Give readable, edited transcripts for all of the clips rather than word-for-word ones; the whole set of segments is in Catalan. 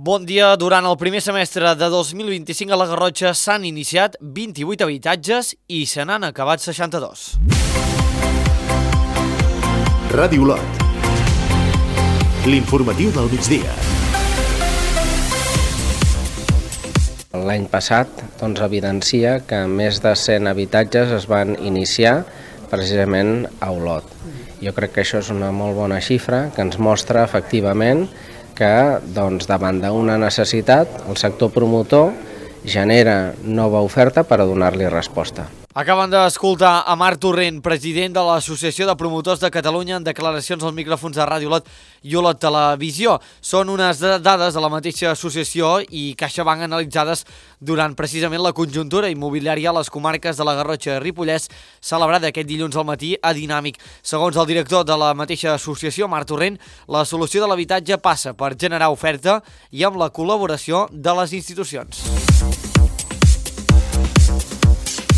Bon dia. Durant el primer semestre de 2025 a la Garrotxa s'han iniciat 28 habitatges i se n'han acabat 62. Ràdio Olot. L'informatiu del migdia. L'any passat evidencia que més de 100 habitatges es van iniciar precisament a Olot. Jo crec que això és una molt bona xifra que ens mostra efectivament que davant d'una necessitat el sector promotor genera nova oferta per a donar-li resposta. Acaben d'escoltar a Marc Torrent, president de l'Associació de Promotors de Catalunya, en declaracions als micròfons de Ràdio Olot i Olot Televisió. Són unes dades de la mateixa associació i CaixaBank analitzades durant precisament la conjuntura immobiliària a les comarques de la Garrotxa i Ripollès, celebrada aquest dilluns al matí a Dinàmic. Segons el director de la mateixa associació, Marc Torrent, la solució de l'habitatge passa per generar oferta i amb la col·laboració de les institucions.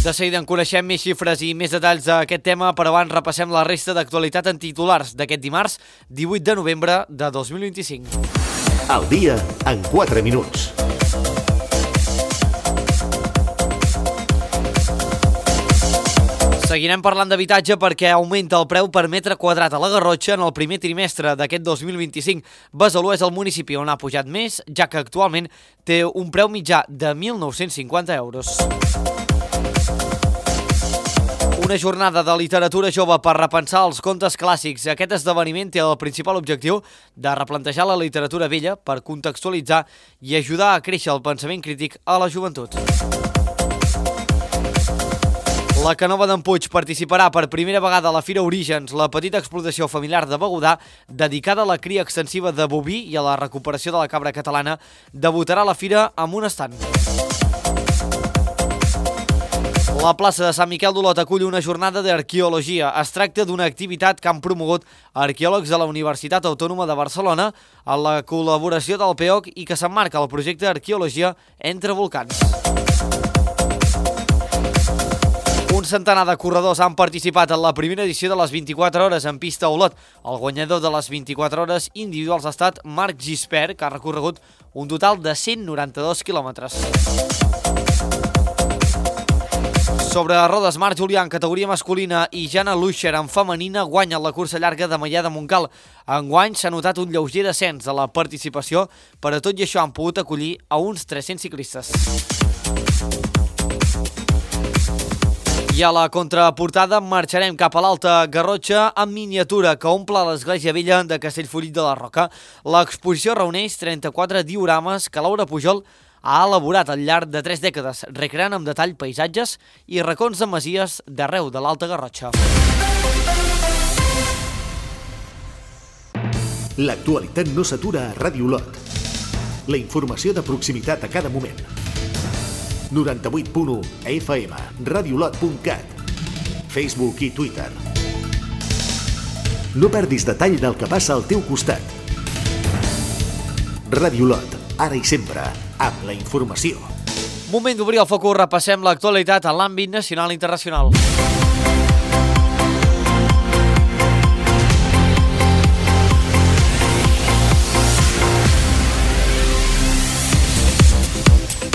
De seguida en coneixem més xifres i més detalls d'aquest tema, però abans repassem la resta d'actualitat en titulars d'aquest dimarts, 18 de novembre de 2025. Al dia en 4 minuts. Seguirem parlant d'habitatge perquè augmenta el preu per metre quadrat a la Garrotxa en el primer trimestre d'aquest 2025. Besalú és el municipi on ha pujat més, ja que actualment té un preu mitjà de 1.950 euros. Una jornada de literatura jove per repensar els contes clàssics. Aquest esdeveniment té el principal objectiu de replantejar la literatura vella per contextualitzar i ajudar a créixer el pensament crític a la joventut. La Canova d'en Puig participarà per primera vegada a la Fira Orígens, la petita explotació familiar de Begudà, dedicada a la cria extensiva de boví i a la recuperació de la cabra catalana, debutarà a la fira amb un estand. La plaça de Sant Miquel d'Olot acull una jornada d'arqueologia. Es tracta d'una activitat que han promogut arqueòlegs de la Universitat Autònoma de Barcelona en la col·laboració del PEOC i que s'emmarca el projecte d'arqueologia entre volcans. Un centenar de corredors han participat en la primera edició de les 24 hores en pista a Olot. El guanyador de les 24 hores individuals ha estat Marc Gispert, que ha recorregut un total de 192 quilòmetres. Sobre rodes, Marc Julià en categoria masculina i Jana Luixer en femenina guanyen la cursa llarga de Maià de Montcal. Enguany s'ha notat un lleuger descens de la participació, però tot i això han pogut acollir a uns 300 ciclistes. I a la contraportada marxarem cap a l'Alta Garrotxa en miniatura que omple l'església vella de Castellfollit de la Roca. L'exposició reuneix 34 diorames que Laura Pujol ha elaborat al llarg de 3 dècades, recreant amb detall paisatges i racons de masies d'arreu de l'Alta Garrotxa. L'actualitat no s'atura a Ràdio Olot. La informació de proximitat a cada moment. 98.1 FM, radiolot.cat, Facebook i Twitter. No perdis detall del que passa al teu costat. Ràdio Olot, ara i sempre, amb la informació. Moment d'obrir el focus, repassem l'actualitat en l'àmbit nacional i internacional.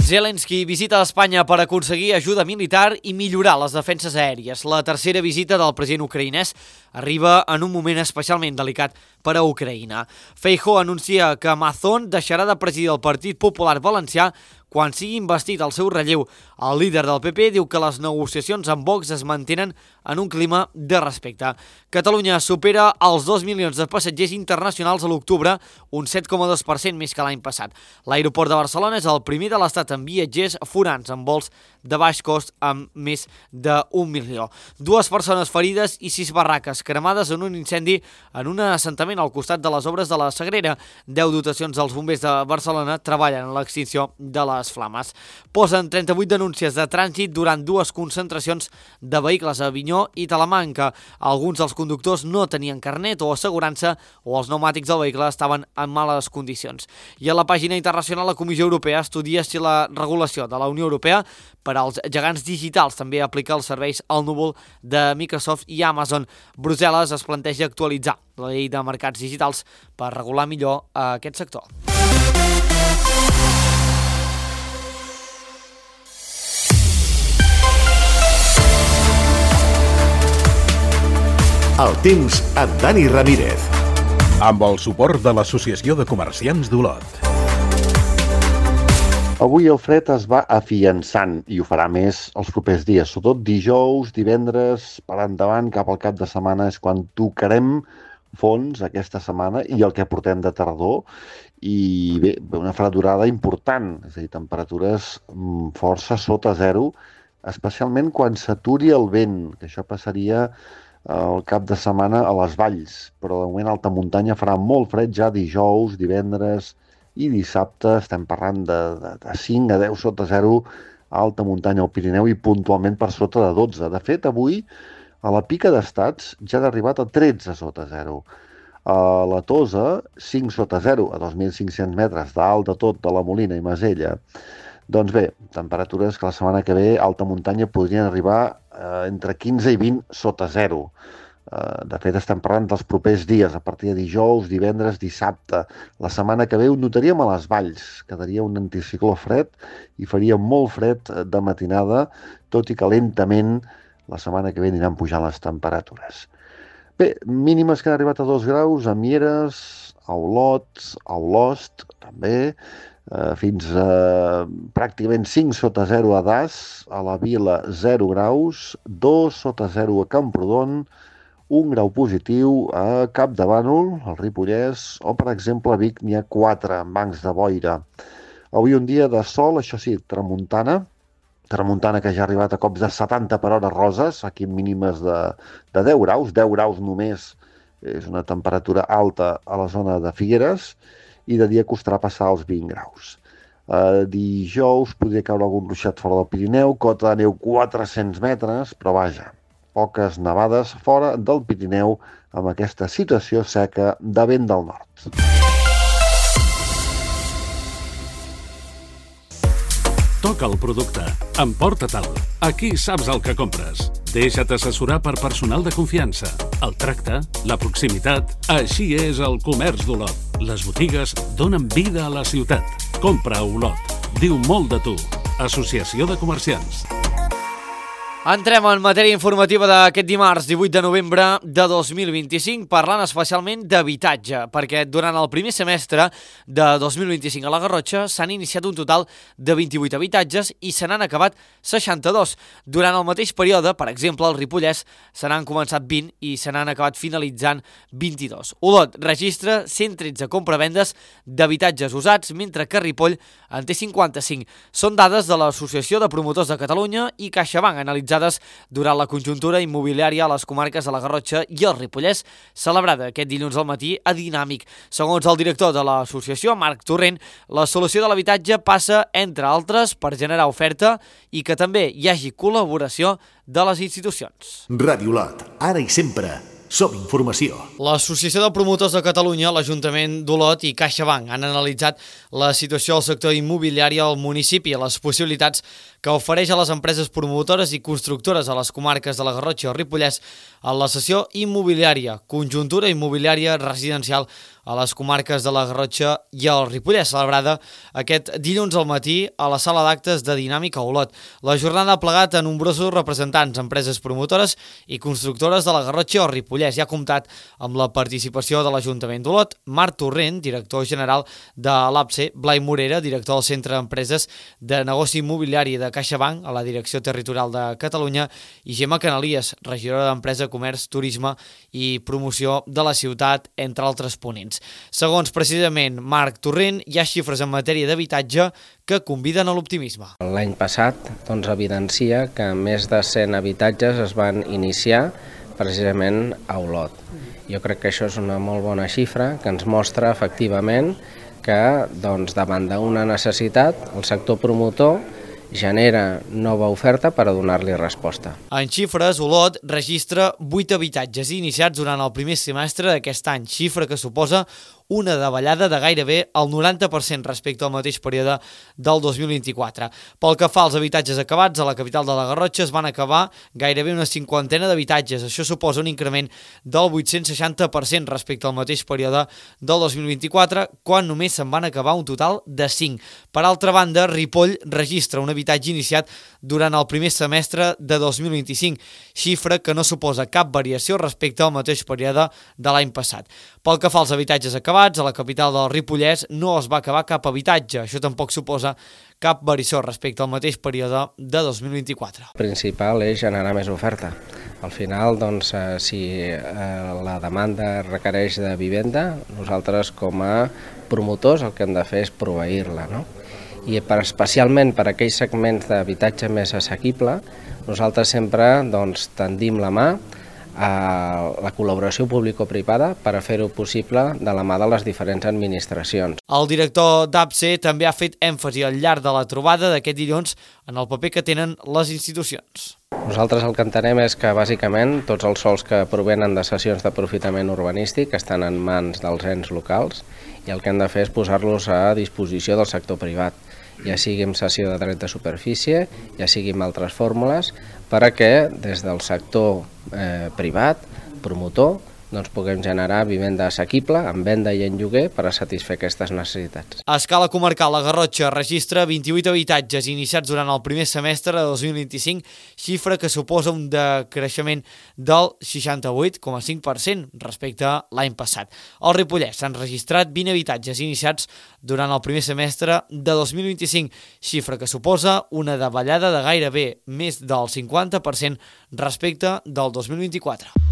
Zelensky visita Espanya per aconseguir ajuda militar i millorar les defenses aèries. La tercera visita del president ucraïnès arriba en un moment especialment delicat per a Ucraïna. Feijóo anuncia que Mazón deixarà de presidir el Partit Popular Valencià quan sigui investit el seu relleu. El líder del PP diu que les negociacions amb Vox es mantenen en un clima de respecte. Catalunya supera els 2 milions de passatgers internacionals a l'octubre, un 7,2% més que l'any passat. L'aeroport de Barcelona és el primer de l'Estat en viatgers forans en vols de baix cost amb més d'1 milió. 2 persones ferides i 6 barraques cremades en un incendi en un assentament al costat de les obres de la Sagrera. 10 dotacions dels bombers de Barcelona treballen en l'extinció de les flames. Posen 38 denúncies de trànsit durant 2 concentracions de vehicles a Avinyó i Talamanca. Alguns dels conductors no tenien carnet o assegurança o els pneumàtics del vehicle estaven en males condicions. I a la pàgina internacional, la Comissió Europea estudia si la regulació de la Unió Europea per als gegants digitals també aplica els serveis al núvol de Microsoft i Amazon. Brussel·les es planteja actualitzar la llei de mercats digitals per regular millor aquest sector. El temps amb Dani Ramírez. Amb el suport de l'Associació de Comerciants d'Olot. Avui el fred es va afiançant i ho farà més els propers dies, sobretot dijous, divendres, per endavant, cap al cap de setmana és quan tocarem fons aquesta setmana i el que portem de tardor i bé, una fredurada important, és a dir, temperatures força sota zero, especialment quan s'aturi el vent, que això passaria al cap de setmana a les valls, però de moment a alta muntanya farà molt fred ja dijous, divendres i dissabte, estem parlant de 5 a 10 sota zero a alta muntanya al Pirineu i puntualment per sota de 12. De fet, avui a la Pica d'Estats ja ha arribat a 13 sota zero. A la Tosa, 5 sota zero, a 2.500 metres dalt de tot de la Molina i Masella. Doncs bé, temperatures que la setmana que ve a alta muntanya podrien arribar entre 15 i 20 sota zero. De fet, estem parlant dels propers dies, a partir de dijous, divendres, dissabte. La setmana que ve ho notaríem a les valls. Quedaria un anticicló fred i faria molt fred de matinada, tot i que lentament la setmana que ve aniran pujant les temperatures. Bé, mínimes que han arribat a 2 graus a Mieres, a Olot, a Olost, també, fins a pràcticament 5 sota 0 a Das, a la Vila 0 graus, 2 sota 0 a Camprodon, 1 grau positiu a Capdavànol, al Ripollès, o per exemple a Vic n'hi ha 4 en bancs de boira. Avui un dia de sol, això sí, tramuntana que ja ha arribat a cops de 70 per hora roses, aquí mínimes de 10 graus només és una temperatura alta a la zona de Figueres, i de dia costarà passar els 20 graus. Dijous podria caure algun ruixat fora del Pirineu, cota de neu 400 metres, però vaja, poques nevades fora del Pirineu amb aquesta situació seca de vent del nord. Toca el producte. Emporta-te'l. Aquí saps el que compres. Deixa't assessorar per personal de confiança. El tracte, la proximitat... Així és el comerç d'Olot. Les botigues donen vida a la ciutat. Compra a Olot. Diu molt de tu. Associació de Comerciants. Entrem en matèria informativa d'aquest dimarts 18 de novembre de 2025 parlant especialment d'habitatge, perquè durant el primer semestre de 2025 a la Garrotxa s'han iniciat un total de 28 habitatges i se n'han acabat 62. Durant el mateix període, per exemple, al Ripollès se n'han començat 20 i se n'han acabat finalitzant 22. Olot registra 113 compravendes d'habitatges usats, mentre que Ripoll en té 55. Són dades de l'Associació de Promotors de Catalunya i CaixaBank analitzades durant la conjuntura immobiliària a les comarques de la Garrotxa i el Ripollès, celebrada aquest dilluns al matí a Dinàmic. Segons el director de l'associació, Marc Torrent, la solució de l'habitatge passa, entre altres, per generar oferta i que també hi hagi col·laboració de les institucions. Ràdio Olot, ara i sempre. Som informació. L'Associació de Promotors de Catalunya, l'Ajuntament d'Olot i CaixaBank han analitzat la situació del sector immobiliari al municipi i les possibilitats que ofereix a les empreses promotores i constructores a les comarques de la Garrotxa i el Ripollès en la sessió immobiliària, conjuntura immobiliària residencial a les comarques de la Garrotxa i el Ripollès, celebrada aquest dilluns al matí a la sala d'actes de Dinàmic a Olot. La jornada ha plegat a nombrosos representants, empreses promotores i constructores de la Garrotxa i el Ripollès i ha comptat amb la participació de l'Ajuntament d'Olot, Marc Torrent, director general de l'APSE, Blai Morera, director del Centre d'Empreses de Negoci Immobiliari de CaixaBank a la Direcció Territorial de Catalunya, i Gemma Canalies, regidora d'Empresa, Comerç, Turisme i Promoció de la ciutat, entre altres ponents. Segons precisament Marc Torrent, hi ha xifres en matèria d'habitatge que conviden a l'optimisme. L'any passat evidencia que més de 100 habitatges es van iniciar precisament a Olot. Jo crec que això és una molt bona xifra que ens mostra efectivament que davant d'una necessitat el sector promotor genera nova oferta per a donar-li resposta. En xifres, Olot registra 8 habitatges iniciats durant el primer semestre d'aquest any, xifra que suposa una davallada de gairebé el 90% respecte al mateix període del 2024. Pel que fa als habitatges acabats, a la capital de la Garrotxa es van acabar gairebé una cinquantena d'habitatges. Això suposa un increment del 860% respecte al mateix període del 2024, quan només se'n van acabar un total de 5. Per altra banda, Ripoll registra un habitatge iniciat durant el primer semestre de 2025, xifra que no suposa cap variació respecte al mateix període de l'any passat. Pel que fa als habitatges acabats, a la capital del Ripollès no es va acabar cap habitatge. Això tampoc suposa cap variació respecte al mateix període de 2024. El principal és generar més oferta. Al final, doncs, si la demanda requereix de vivenda, nosaltres com a promotors el que hem de fer és proveir-la, no? I especialment per aquells segments d'habitatge més assequible, nosaltres sempre tendim la mà a la col·laboració público-privada per a fer-ho possible de la mà de les diferents administracions. El director d'APSE també ha fet èmfasi al llarg de la trobada d'aquest dilluns en el paper que tenen les institucions. Nosaltres el que entenem és que, bàsicament, tots els sòls que provenen de cessions d'aprofitament urbanístic estan en mans dels ens locals i el que hem de fer és posar-los a disposició del sector privat, ja sigui amb cessió de dret de superfície, ja sigui amb altres fórmules, perquè des del sector privat, promotor, puguem generar vivenda assequible, en venda i en lloguer, per a satisfer aquestes necessitats. A escala comarcal, la Garrotxa registra 28 habitatges iniciats durant el primer semestre de 2025, xifra que suposa un decreixement del 68,5% respecte a l'any passat. Al Ripollès s'han registrat 20 habitatges iniciats durant el primer semestre de 2025, xifra que suposa una davallada de gairebé més del 50% respecte del 2024.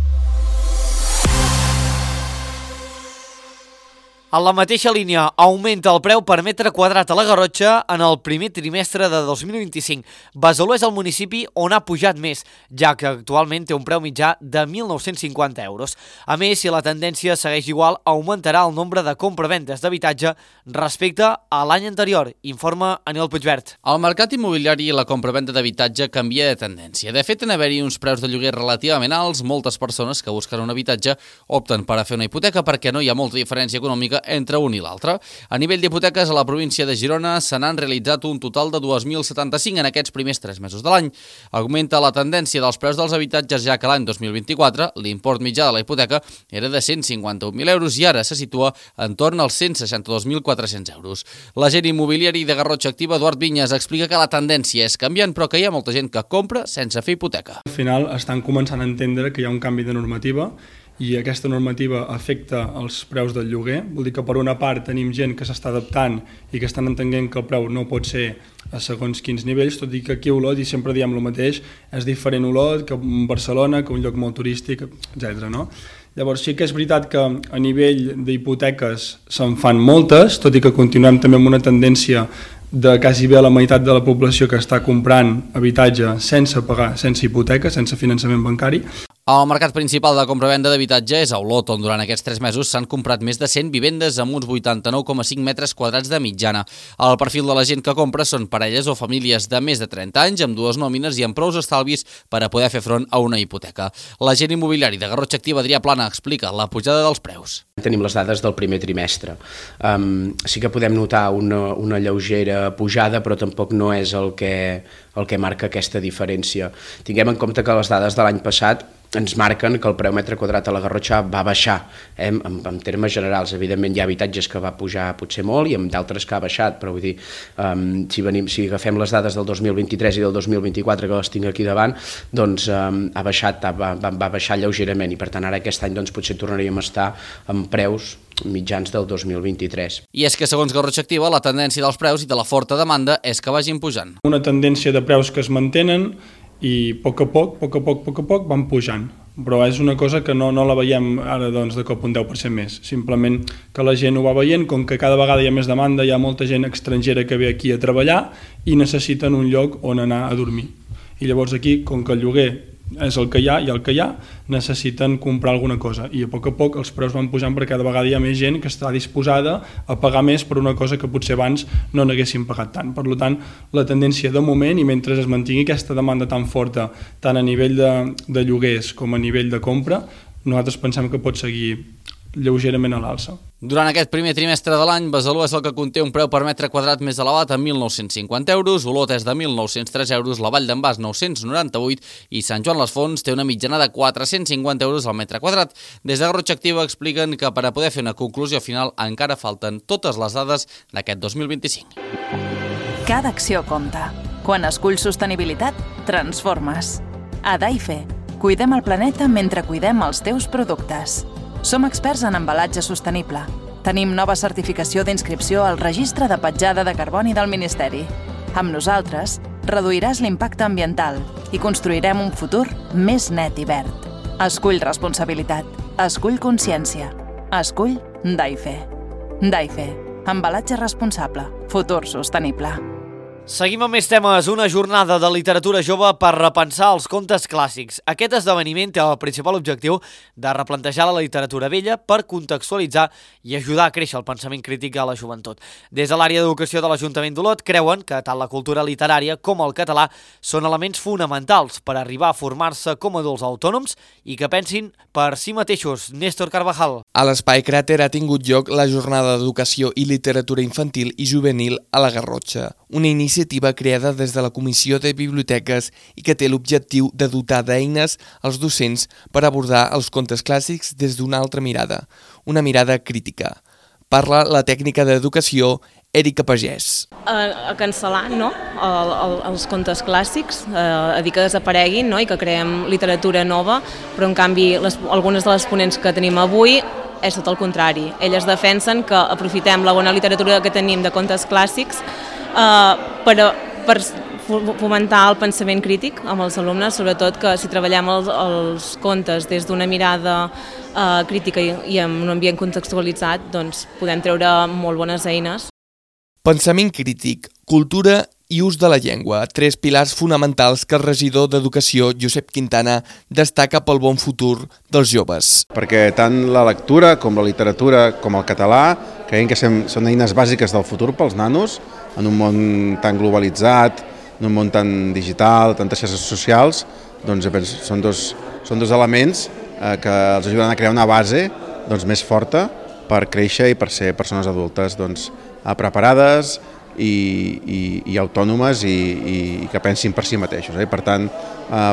En la mateixa línia, augmenta el preu per metre quadrat a la Garrotxa en el primer trimestre de 2025. Besalú és el municipi on ha pujat més, ja que actualment té un preu mitjà de 1.950 euros. A més, si la tendència segueix igual, augmentarà el nombre de compra-ventes d'habitatge respecte a l'any anterior, informa Aniol Puigvert. El mercat immobiliari i la compra-venda d'habitatge canvia de tendència. De fet, en haver-hi uns preus de lloguer relativament alts, moltes persones que busquen un habitatge opten per a fer una hipoteca perquè no hi ha molta diferència econòmica entre un i l'altre. A nivell d'hipoteques, a la província de Girona se n'han realitzat un total de 2.075 en aquests primers 3 mesos de l'any. Augmenta la tendència dels preus dels habitatges, ja que l'any 2024 l'import mitjà de la hipoteca era de 151.000 euros i ara se situa entorn als 162.400 euros. L'agent immobiliari de Garrotxa Activa, Eduard Vinyes, explica que la tendència és canviant, però que hi ha molta gent que compra sense fer hipoteca. Al final estan començant a entendre que hi ha un canvi de normativa i aquesta normativa afecta els preus del lloguer. Vol dir que per una part tenim gent que s'està adaptant i que estan entenent que el preu no pot ser a segons quins nivells, tot i que aquí a Olot, i sempre diem el mateix, és diferent Olot que Barcelona, que un lloc molt turístic, etc. No? Llavors sí que és veritat que a nivell d'hipoteques se'n fan moltes, tot i que continuem també amb una tendència de quasi bé la meitat de la població que està comprant habitatge sense pagar, sense hipoteca, sense finançament bancari. El mercat principal de compra-venda d'habitatge és a Olot, on durant aquests 3 mesos s'han comprat més de 100 vivendes amb uns 89,5 metres quadrats de mitjana. El perfil de la gent que compra són parelles o famílies de més de 30 anys, amb 2 nòmines i amb prous estalvis per a poder fer front a una hipoteca. L'agent immobiliari de Garrotxa Activa, Adrià Plana, explica la pujada dels preus. Tenim les dades del primer trimestre. Sí que podem notar una lleugera pujada, però tampoc no és el que marca aquesta diferència. Tinguem en compte que les dades de l'any passat ens marquen que el preu metre quadrat a la Garrotxa va baixar, en termes generals. Evidentment hi ha habitatges que va pujar potser molt i amb d'altres que ha baixat, però vull dir, si agafem les dades del 2023 i del 2024, que les tinc aquí davant, doncs va baixar lleugerament i per tant ara aquest any potser tornaríem a estar amb preus mitjans del 2023. I és que segons Garrotxa Activa, la tendència dels preus i de la forta demanda és que vagin pujant. Una tendència de preus que es mantenen i a poc a poc van pujant, però és una cosa que no la veiem ara de cop un 10% més, simplement que la gent ho va veient, com que cada vegada hi ha més demanda, hi ha molta gent estrangera que ve aquí a treballar i necessiten un lloc on anar a dormir. I llavors aquí, com que el lloguer és el que hi ha i el que hi ha, necessiten comprar alguna cosa i a poc els preus van pujant perquè cada vegada hi ha més gent que està disposada a pagar més per una cosa que potser abans no n'haguessin pagat tant. Per tant, la tendència de moment, i mentre es mantingui aquesta demanda tan forta tant a nivell de lloguers com a nivell de compra, nosaltres pensem que pot seguir lleugerament a l'alça. Durant aquest primer trimestre de l'any, Besalú és el que conté un preu per metre quadrat més elevat a 1.950 euros, Olot és de 1.903 euros, la Vall d'en Bas 998 i Sant Joan les Fonts té una mitjana de 450 euros al metre quadrat. Des de Garrotxa Activa expliquen que per a poder fer una conclusió final encara falten totes les dades d'aquest 2025. Cada acció compta. Quan esculls sostenibilitat, transformes. A Daife, cuidem el planeta mentre cuidem els teus productes. Som experts en embalatge sostenible. Tenim nova certificació d'inscripció al Registre de Petjada de Carboni del Ministeri. Amb nosaltres, reduiràs l'impacte ambiental i construirem un futur més net i verd. Escull responsabilitat. Escull consciència. Escull Daife. Daife. Embalatge responsable. Futur sostenible. Seguim amb més temes. Una jornada de literatura jove per repensar els contes clàssics. Aquest esdeveniment té el principal objectiu de replantejar la literatura vella per contextualitzar i ajudar a créixer el pensament crític a la joventut. Des de l'àrea d'educació de l'Ajuntament d'Olot creuen que tant la cultura literària com el català són elements fonamentals per arribar a formar-se com adults autònoms i que pensin per si mateixos. Néstor Carvajal. A l'Espai Cràter ha tingut lloc la jornada d'educació i literatura infantil i juvenil a la Garrotxa, una iniciativa creada des de la Comissió de Biblioteques i que té l'objectiu de dotar d'eines als docents per abordar els contes clàssics des d'una altra mirada, una mirada crítica. Parla la tècnica d'educació Èrica Pagès. A cancel·lar els contes clàssics, a dir que desapareguin, i que creem literatura nova, però en canvi algunes de les ponents que tenim avui és tot el contrari. Elles defensen que aprofitem la bona literatura que tenim de contes clàssics per fomentar el pensament crític amb els alumnes, sobretot que si treballem els contes des d'una mirada crítica i en un ambient contextualitzat, doncs podem treure molt bones eines. Pensament crític, cultura i ús de la llengua, tres pilars fonamentals que el regidor d'Educació, Josep Quintana, destaca pel bon futur dels joves. Perquè tant la lectura com la literatura com el català creiem que són eines bàsiques del futur pels nanos, en un món tan globalitzat, en un món tan digital, tantes xarxes socials, doncs són dos elements que els ajuden a crear una base més forta per créixer i per ser persones adultes preparades i autònomes i que pensin per si mateixos. Per tant,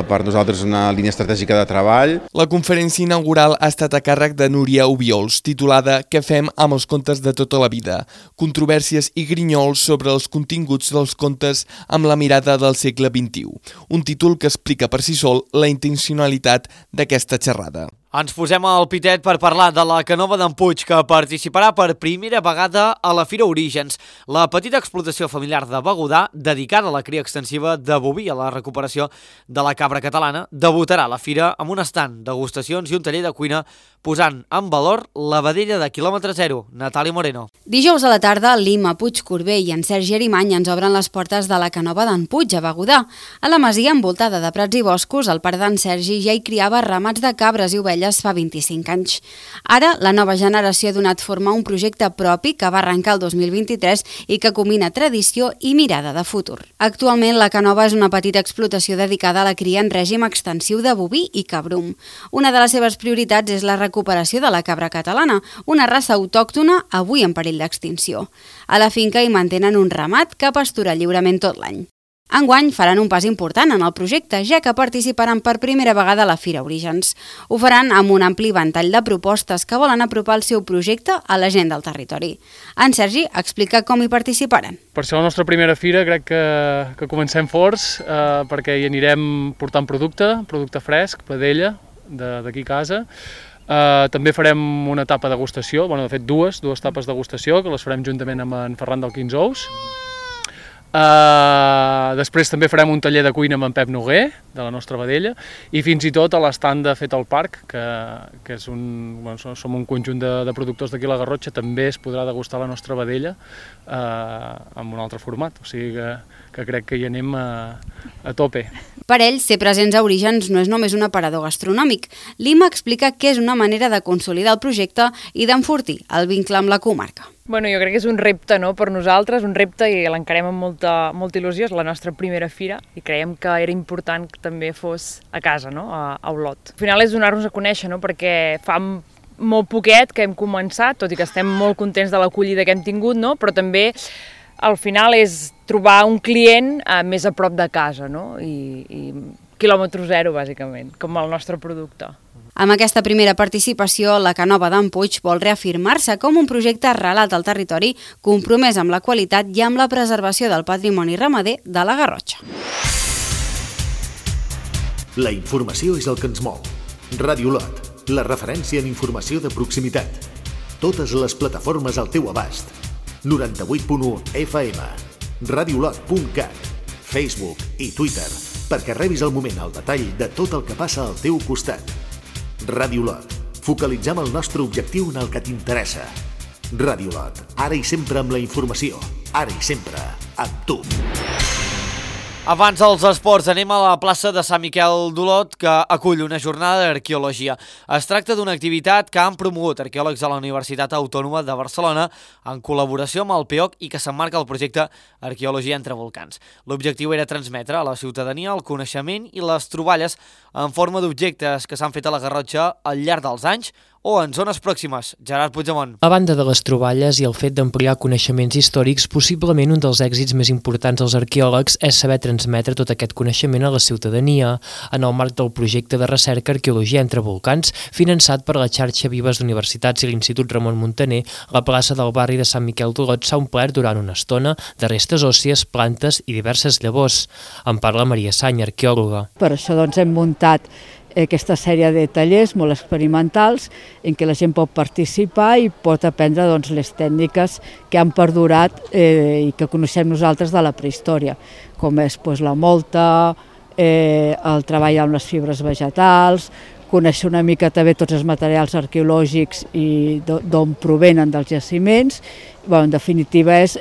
per nosaltres és una línia estratègica de treball. La conferència inaugural ha estat a càrrec de Núria Obiols, titulada Què fem amb els contes de tota la vida? Controvèrsies i grinyols sobre els continguts dels contes amb la mirada del segle XXI. Un títol que explica per si sol la intencionalitat d'aquesta xerrada. Ens posem al pitet per parlar de la Canova d'en Puig, que participarà per primera vegada a la Fira Orígens, la petita explotació familiar de Begudà, dedicada a la cria extensiva de boví i a la recuperació de la cabra catalana, debutarà a la fira amb un estand, degustacions i un taller de cuina, posant en valor la vedella de quilòmetre zero, Natàlia Moreno. Dijous a la tarda, Lima, Puig Corbé i en Sergi Arimany ens obren les portes de la Canova d'en Puig, a Begudà. A la masia, envoltada de prats i boscos, el pare d'en Sergi ja hi criava ramats de cabres i ovelles fa 25 anys. Ara, la nova generació ha donat forma a un projecte propi que va arrencar el 2023 i que combina tradició i mirada de futur. Actualment, la Canova és una petita explotació dedicada a la cria en règim extensiu de boví i cabrum. Una de les seves prioritats és la recuperació de la cabra catalana, una raça autòctona avui en perill d'extinció. A la finca hi mantenen un ramat que pastura lliurement tot l'any. Enguany faran un pas important en el projecte, ja que participaran per primera vegada a la Fira Orígens. Ho faran amb un ampli ventall de propostes que volen apropar el seu projecte a la gent del territori. En Sergi explica com hi participaran. Per ser la nostra primera fira crec que comencem forts perquè hi anirem portant producte fresc, vedella, d'aquí a casa. També farem una etapa de degustació, de fet dues etapes de degustació, que les farem juntament amb en Ferran del 15 Ous. Després també farem un taller de cuina amb en Pep Noguer, de la nostra vedella, i fins i tot a l'estand de Fet al Parc, que som un conjunt de productors d'aquí a la Garrotxa, també es podrà degustar la nostra vedella amb un altre format, o sigui que crec que hi anem a tope. Per ell, ser presents a Orígens no és només un aparador gastronòmic. Lima explica que és una manera de consolidar el projecte i d'enfortir el vincle amb la comarca. Jo crec que és un repte per nosaltres, un repte i l'encarem amb molta il·lusió, és la nostra primera fira i creiem que era important que també fos a casa, a Olot. Al final és donar-nos a conèixer, perquè fa molt poquet que hem començat, tot i que estem molt contents de l'acollida que hem tingut, no? Però també al final és trobar un client més a prop de casa, no? I quilòmetre zero, bàsicament, com el nostre producte. Amb aquesta primera participació, la Canova d'en Puig vol reafirmar-se com un projecte arrelat al territori, compromès amb la qualitat i amb la preservació del patrimoni ramader de la Garrotxa. La informació és el que ens mou. Ràdio Olot, la referència en informació de proximitat. Totes les plataformes al teu abast. 98.1 FM, radioolot.cat, Facebook i Twitter, perquè rebis al moment el detall de tot el que passa al teu costat. Ràdio Olot, focalitzem el nostre objectiu en el que t'interessa. Ràdio Olot, ara i sempre amb la informació, ara i sempre amb tu. Abans dels esports, anem a la plaça de Sant Miquel d'Olot, que acull una jornada d'arqueologia. Es tracta d'una activitat que han promogut arqueòlegs a la Universitat Autònoma de Barcelona en col·laboració amb el PEOC i que s'emmarca el projecte Arqueologia entre volcans. L'objectiu era transmetre a la ciutadania el coneixement i les troballes en forma d'objectes que s'han fet a la Garrotxa al llarg dels anys o en zones pròximes. Gerard Puigdemont. A banda de les troballes i el fet d'ampliar coneixements històrics, possiblement un dels èxits més importants dels arqueòlegs és saber transmetre tot aquest coneixement a la ciutadania en el marc del projecte de recerca Arqueologia entre volcans, finançat per la xarxa Vives d'Universitats i l'Institut Ramon Muntaner. La plaça del barri de Sant Miquel d'Olot s'ha omplert durant una estona de restes òssies, plantes i diverses llavors. En parla Maria Sany, arqueòloga. Per això hem muntat aquesta sèrie de tallers molt experimentals en què la gent pot participar i pot aprendre les tècniques que han perdurat i que coneixem nosaltres de la prehistòria, com és la molta, el treball amb les fibres vegetals, conèixer una mica també tots els materials arqueològics i d'on provenen dels jaciments. En definitiva és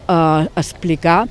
explicar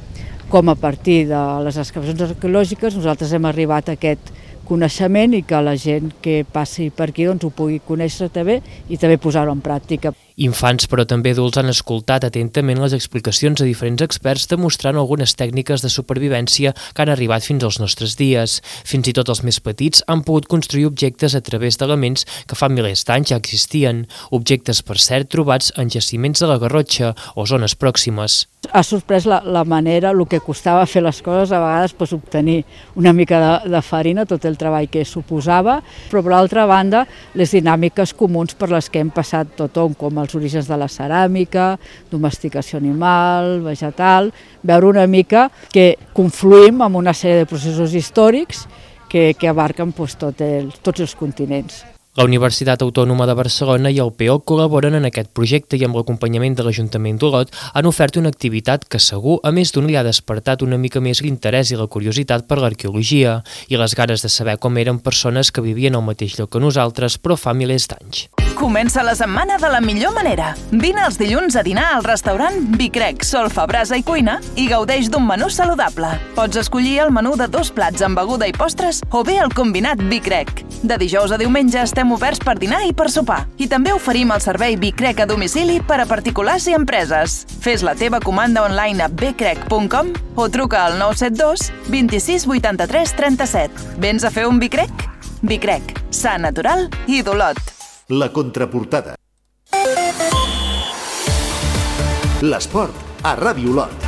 com a partir de les excavacions arqueològiques nosaltres hem arribat a aquest coneixement i que la gent que passi per aquí ho pugui conèixer també i també posar-ho en pràctica. Infants, però també adults, han escoltat atentament les explicacions de diferents experts demostrant algunes tècniques de supervivència que han arribat fins als nostres dies. Fins i tot els més petits han pogut construir objectes a través d'elements que fa milers d'anys ja existien. Objectes, per cert, trobats en jaciments de la Garrotxa o zones pròximes. Ha sorprès la manera, el que costava fer les coses, a vegades obtenir una mica de farina, tot el treball que suposava, però per l'altra banda les dinàmiques comuns per les que hem passat tothom, com els orígens de la ceràmica, domesticació animal, vegetal, veure una mica que confluïm amb una sèrie de processos històrics que abarquen tots els continents. La Universitat Autònoma de Barcelona i el PEOC col·laboren en aquest projecte i amb l'acompanyament de l'Ajuntament d'Olot han ofert una activitat que segur, a més d'un, li ha despertat una mica més l'interès i la curiositat per l'arqueologia i les ganes de saber com eren persones que vivien al mateix lloc que nosaltres però fa milers d'anys. Comença la setmana de la millor manera. Vine els dilluns a dinar al restaurant Bicrec, Solfa, Brasa i Cuina i gaudeix d'un menú saludable. Pots escollir el menú de 2 plats amb beguda i postres o bé el combinat Bicrec. De dijous a diumenge estem oberts per dinar i per sopar. I també oferim el servei Bicrec a domicili per a particulars i empreses. Fes la teva comanda online a bcrec.com o truca al 972 26 83 37. Vens a fer un Bicrec? Bicrec, sa, natural i d'Olot. La contraportada. L'esport a Ràdio Olot.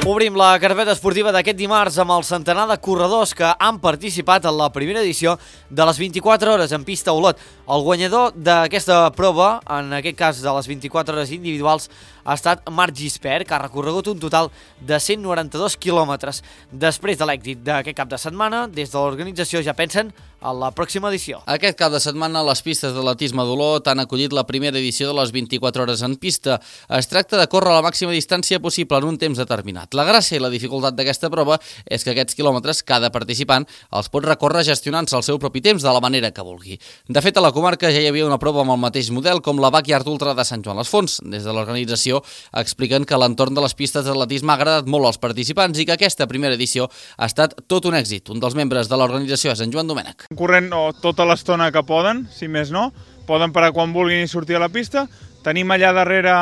Obrim la carpeta esportiva d'aquest dimarts amb el centenar de corredors que han participat en la primera edició de les 24 hores en pista a Olot. El guanyador d'aquesta prova, en aquest cas de les 24 hores individuals, ha estat Marc Gispert, que ha recorregut un total de 192 quilòmetres. Després de l'èxit d'aquest cap de setmana, des de l'organització ja pensen a la pròxima edició. Aquest cap de setmana les pistes d'atletisme d'Olot han acollit la primera edició de les 24 hores en pista. Es tracta de córrer la màxima distància possible en un temps determinat. La gràcia i la dificultat d'aquesta prova és que aquests quilòmetres cada participant els pot recórrer gestionant-se el seu propi temps de la manera que vulgui. De fet, a la comarca ja hi havia una prova amb el mateix model com la Backyard Ultra de Sant Joan les Fonts. Des de l'organització expliquen que l'entorn de les pistes d'atletisme ha agradat molt als participants i que aquesta primera edició ha estat tot un èxit. Un dels membres de l'organització és en Joan Domènech. Corrent tota l'estona que poden, si més no, poden parar quan vulguin i sortir a la pista. Tenim allà darrere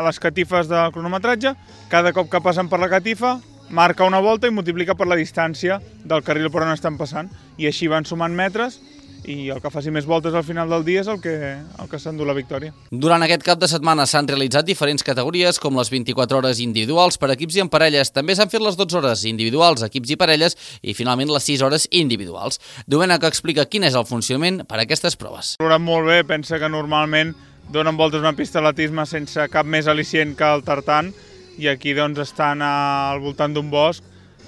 les catifes del cronometratge, cada cop que passen per la catifa marca una volta i multiplica per la distància del carril per on estan passant, i així van sumant metres, i el que faci més voltes al final del dia és el que s'endú la victòria. Durant aquest cap de setmana s'han realitzat diferents categories, com les 24 hores individuals per equips i en parelles. També s'han fet les 12 hores individuals, equips i parelles, i finalment les 6 hores individuals. Domènec explica quin és el funcionament per a aquestes proves. Valorat molt bé, pensa que normalment donen voltes una pista d'atletisme sense cap més al·licient que el tartan, i aquí doncs estan al voltant d'un bosc,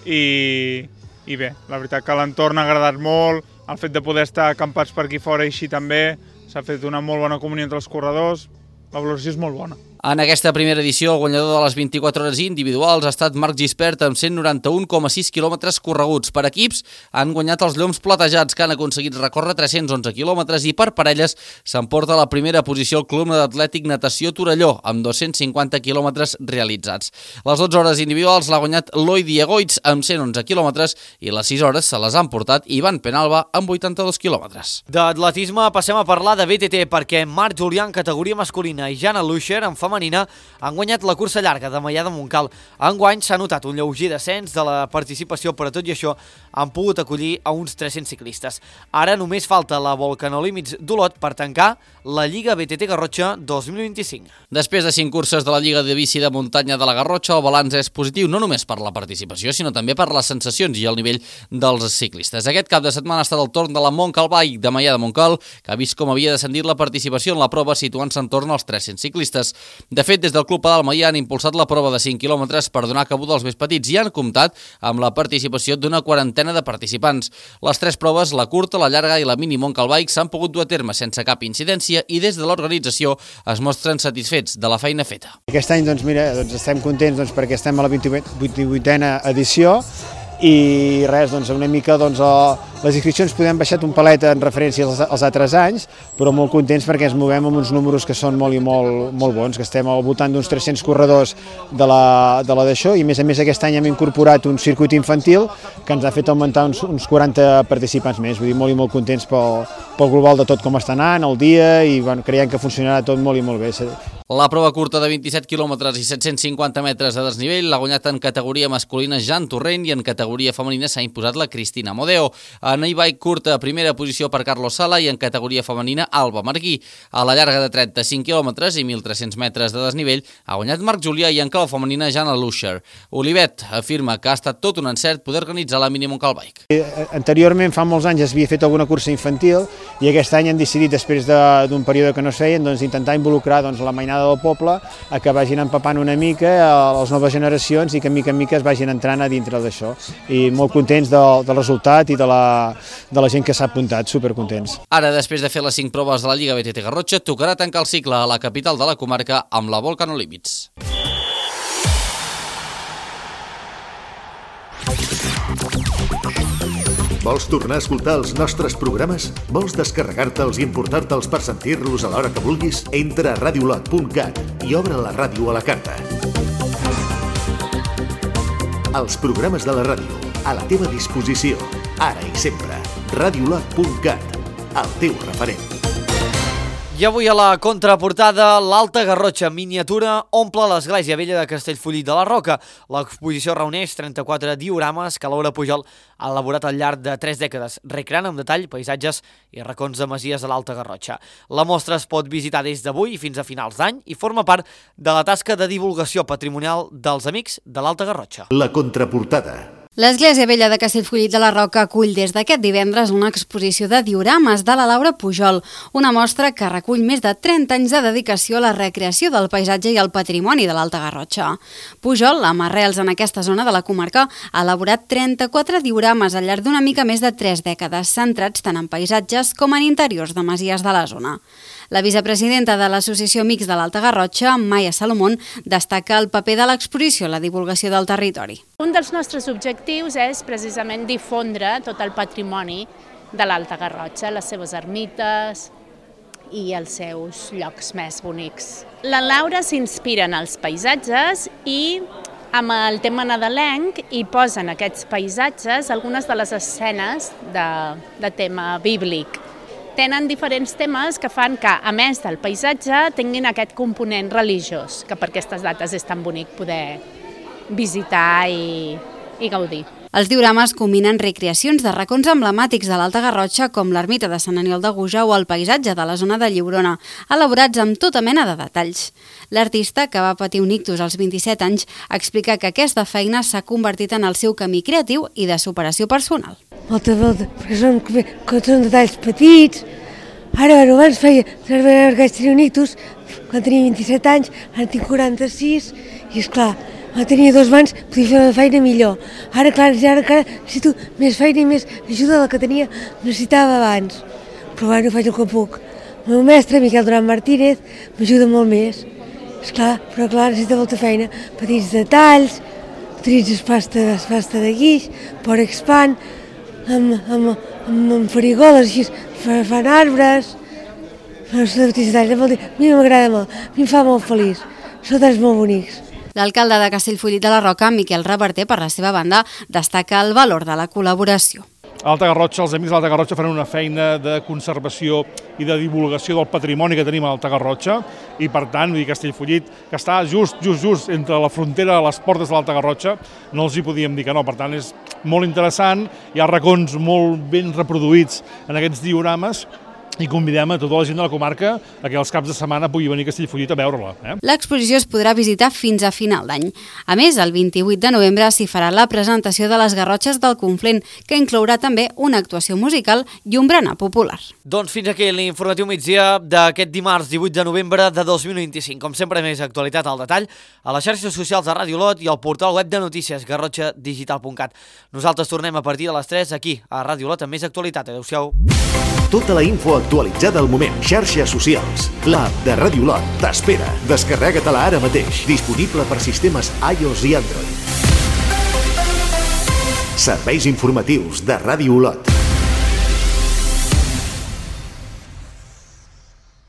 i bé, la veritat que l'entorn ha agradat molt. El fet de poder estar acampats per aquí fora i així també, s'ha fet una molt bona comunió entre els corredors, la valoració és molt bona. En aquesta primera edició, el guanyador de les 24 hores individuals ha estat Marc Gispert amb 191,6 quilòmetres correguts. Per equips han guanyat els Lloms Platejats, que han aconseguit recórrer 311 quilòmetres, i per parelles s'emporta la primera posició el Club d'Atlètic Natació Torelló, amb 250 quilòmetres realitzats. Les 12 hores individuals l'ha guanyat Eloi Diegoitz amb 111 quilòmetres i les 6 hores se les han portat Ivan Penalba amb 82 quilòmetres. D'atletisme passem a parlar de BTT, perquè Marc Julià en categoria masculina i Jana Luscher en femenina han guanyat la cursa llarga de Maià de Montcal. Enguany s'ha notat un lleuger descens de la participació, però tot i això han pogut acollir a uns 300 ciclistes. Ara només falta la Volcanolímits d'Olot per tancar la Lliga BTT Garrotxa 2025. Després de 5 curses de la Lliga de Bici de Muntanya de la Garrotxa, el balanç és positiu no només per la participació, sinó també per les sensacions i el nivell dels ciclistes. Aquest cap de setmana ha estat el torn de la Montcal Bike de Maià de Montcal, que ha vist com havia descendit la participació en la prova, situant-se en torn als 300 ciclistes. De fet, des del Club Pedal Maià han impulsat la prova de 5 quilòmetres per donar cabuda als més petits i han comptat amb la participació d'una quarantena de participants. Les 3 proves, la curta, la llarga i la mini Montcal Bike, s'han pogut dur a terme sense cap incidència i des de l'organització es mostren satisfets de la feina feta. Aquest any estem contents perquè estem a la 28a edició i res, una mica les inscripcions podem baixat un palet en referència als altres anys, però molt contents perquè ens movem amb uns números que són molt bons, que estem al voltant d'uns 300 corredors de la d'això, i a més aquest any hem incorporat un circuit infantil que ens ha fet augmentar uns 40 participants més. Vull dir, molt contents pel global de tot com està anant, el dia, i creiem que funcionarà tot molt bé. La prova curta de 27 quilòmetres i 750 metres de desnivell l'ha guanyat en categoria masculina Jan Torrent i en categoria femenina s'ha imposat la Cristina Modeo. En e-bike curta, primera posició per Carlos Sala i en categoria femenina Alba Marguí. A la llarga de 35 quilòmetres i 1.300 metres de desnivell ha guanyat Marc Julià i en clau femenina Jana Luscher. Olivet afirma que ha estat tot un encert poder organitzar la mini Montcal Bike. Anteriorment, fa molts anys, es havia fet alguna cursa infantil i aquest any han decidit, després d'un període que no es feien, intentar involucrar la mainada del poble a que vagin empapant una mica a les noves generacions i que mica en mica es vagin entrant a dintre d'això. I molt contents del resultat i de la gent que s'ha apuntat, supercontents. Ara, després de fer les 5 proves de la Lliga BTT Garrotxa, tocarà tancar el cicle a la capital de la comarca amb la Volcanolímits. Vols tornar a escoltar els nostres programes? Vols descarregar-te'ls i importar-te'ls per sentir-los a l'hora que vulguis? Entra a radiolot.cat i obre la ràdio a la carta. Els programes de la ràdio, a la teva disposició, ara i sempre. Radiolot.cat, el teu referent. I avui a la contraportada, l'Alta Garrotxa miniatura omple l'església vella de Castellfollit de la Roca. L'exposició reuneix 34 diorames que Laura Pujol ha elaborat al llarg de 3 dècades, recreant amb detall paisatges i racons de masies de l'Alta Garrotxa. La mostra es pot visitar des d'avui fins a finals d'any i forma part de la tasca de divulgació patrimonial dels Amics de l'Alta Garrotxa. La contraportada. L'Església Vella de Castellfollit de la Roca acull des d'aquest divendres una exposició de diorames de la Laura Pujol, una mostra que recull més de 30 anys de dedicació a la recreació del paisatge i el patrimoni de l'Alta Garrotxa. Pujol, amb arrels en aquesta zona de la comarca, ha elaborat 34 diorames al llarg d'una mica més de 3 dècades, centrats tant en paisatges com en interiors de masies de la zona. La vicepresidenta de l'Associació Amics de l'Alta Garrotxa, Maia Salomón, destaca el paper de l'exposició a la divulgació del territori. Un dels nostres objectius és precisament difondre tot el patrimoni de l'Alta Garrotxa, les seves ermites i els seus llocs més bonics. La Laura s'inspira en els paisatges i amb el tema nadalenc hi posa en aquests paisatges algunes de les escenes de tema bíblic. tenen diferents temes que fan que, a més del paisatge, tinguin aquest component religiós, que per aquestes dates és tan bonic poder visitar i gaudir. Els diorames combinen recreacions de racons emblemàtics de l'Alta Garrotxa com l'ermita de Sant Aniol de Gújar o el paisatge de la zona de Lliurona, elaborats amb tota mena de detalls. L'artista, que va patir un ictus als 27 anys, explica que aquesta feina s'ha convertit en el seu camí creatiu i de superació personal. Molta volta, perquè són detalls petits. Ara, abans tenia un ictus quan tenia 27 anys, ara tinc 46 i, esclar, tenia 2 mans, podia fer la feina millor. Ara, clar, necessito més feina i més ajuda de la que necessitava abans. Però bueno, faig el que puc. El meu mestre, Miquel Duran Martínez, m'ajuda molt més. Esclar, però clar, necessita molta feina. Petits detalls, utilitzes pasta de guix, Porexpan, amb farigoles, així, fan arbres. Petits detalls, a mi m'agrada molt, a mi em fa molt feliç. Són detalls molt bonics. L'alcalde de Castellfollit de la Roca, Miquel Reverter, per la seva banda, destaca el valor de la col·laboració. A l'Alta Garrotxa, els amics de l'Alta Garrotxa faran una feina de conservació i de divulgació del patrimoni que tenim a l'Alta Garrotxa i, per tant, Castellfollit, que està just entre la frontera de les portes de l'Alta Garrotxa, no els hi podíem dir que no. Per tant, és molt interessant, hi ha racons molt ben reproduïts en aquests diorames i convidem a tota la gent de la comarca a que els caps de setmana pugui venir a Castellfollit a veure-la. L'exposició es podrà visitar fins a final d'any. A més, el 28 de novembre s'hi farà la presentació de les Garrotxes del Conflent, que inclourà també una actuació musical i un berenar popular. Doncs fins aquí l'informatiu migdia d'aquest dimarts 18 de novembre de 2025. Com sempre, més actualitat al detall a les xarxes socials de Ràdio Olot i al portal web de notícies garrotxadigital.cat. Nosaltres tornem a partir de les 3 aquí a Ràdio Olot amb més actualitat. Adéu-siau. Tota la info actualitzada al moment. Xarxes socials. L'app de Ràdio Olot t'espera. Descarrega-te-la ara mateix. Disponible per sistemes iOS i Android. Serveis informatius de Ràdio Olot.